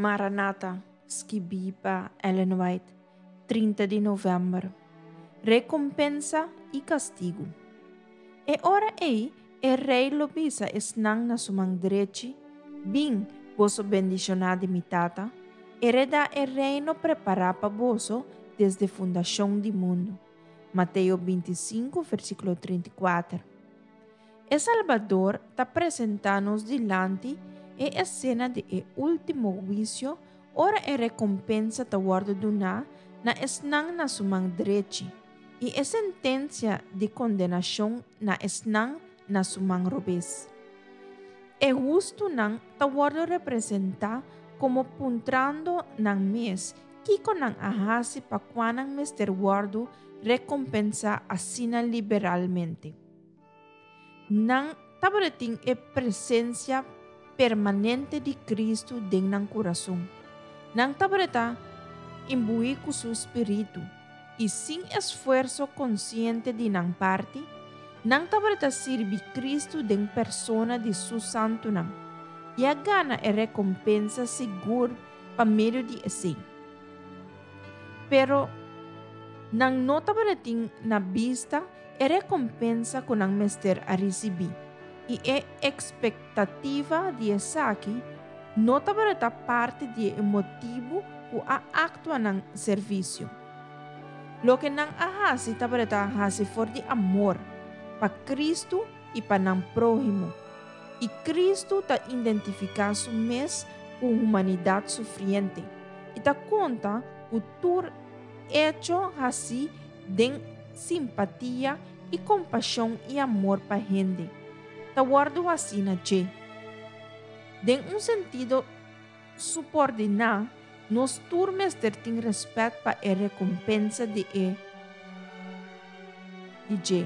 Maranata, skibí pa Ellen White, 30 di novèmber. Rekompensa i kastigu. E ora ei e Rei lo bisa esnan na su man drechi, Bin, boso bendishoná di mi Tata, heredá e reino prepará pa boso desde fundashon di mundu. Mateo 25, versíkulo 34. E Salbador ta presentá nos dilanti e esena di e último huisio ora e rekompensa ta wòrdu duná na esnan na su man drechi i e sentensia di kondenashon na esnan na su man robes. E hustunan ta wòrdu representá komo puntrando nan mes kiko nan a hasi pa kua nan mester wòrdu rekompensá asina liberalmente. Nan tabatin e presensia permanente di Kristu den nan kurason. Nan tabata imbuí ku su spiritu, i sin esfuerso konsiente di nan parti, nan tabata sirbi Kristu den persona di su santunan i a gana e rekompensa sigur pa medio di esei. Pero nan no tabatin na bista e rekompensa ku nan mester a risibí, i e ekspektativa di esaki no tabata parti di e motibu ku a aktua nan servisio. Loke nan a hasi tabata hasi for di amor pa Kristu i pa nan próhimo, i Kristu ta identifiká su mes ku humanidat sufriente i ta konta ku tur echo hasí den simpatia i kompashon i amor pa hende, ta wòrdu hasí na dje. Den un sentido supordiná, nos tur mester tin rèspèt pa e rekompensa di e di dje.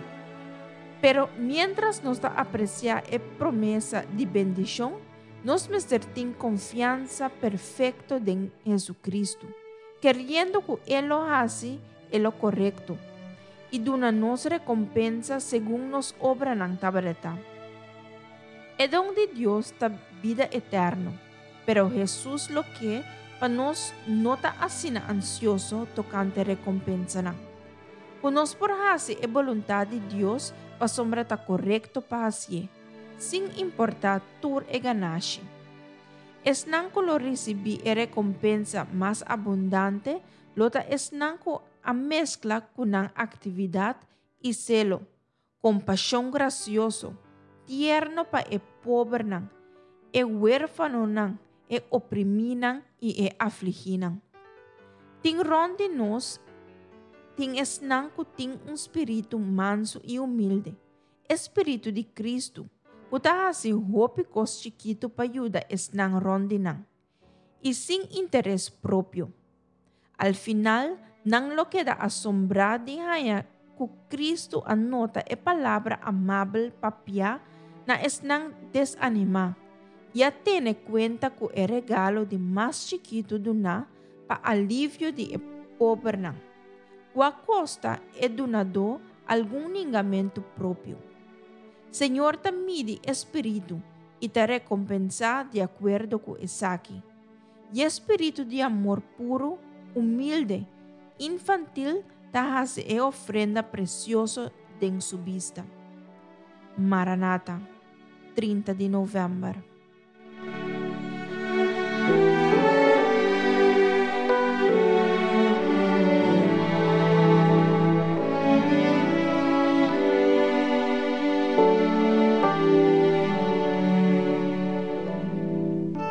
Pero miéntras nos ta apresiá e promesa di bendishon, nos mester tin konfiansa perfekto den Hesukristu, keriendo ku e lo hasi e lo korekto i duna nos rekompensa segun nos obranan tabata. E don di Dios ta bida eterno, pero Hesus lo ke pa nos no ta asina ansioso tokante rekompensanan. Ku nos por hasi e boluntat di Dios pasobra ta korekto pa hasié, sin importá tur e ganashi. Esnan ku lo risibí e rekompensa mas abundante lo ta esnan ku a meskla ku nan aktividat i selo, kompashon grasioso, tierno pa e pobernan, e huérfanonan, e oprimínan i e afligínan. Tin rònt di nos tin esnan ku tin un spiritu mansu i humilde, e spiritu di Kristu, ku ta hasi hopi kos chikitu pa yuda esnan rònt di nan. I sin interes propio. Al final, nan lo keda asombrá di haña ku Kristu a nota e palabra amabel papiá na esnan desanimá i a tene kuenta ku e regalo di mas chikitu duná pa alivio di e pobernan, ku a kosta e dunadó algun ningamentu propio. Señor ta midi e spiritu i ta rekompensá di akuerdo ku esaki. I e spiritu di amor puru, humilde, infantil ta hasi e ofrenda presioso den su bista. Maranata, 30 di novèmber.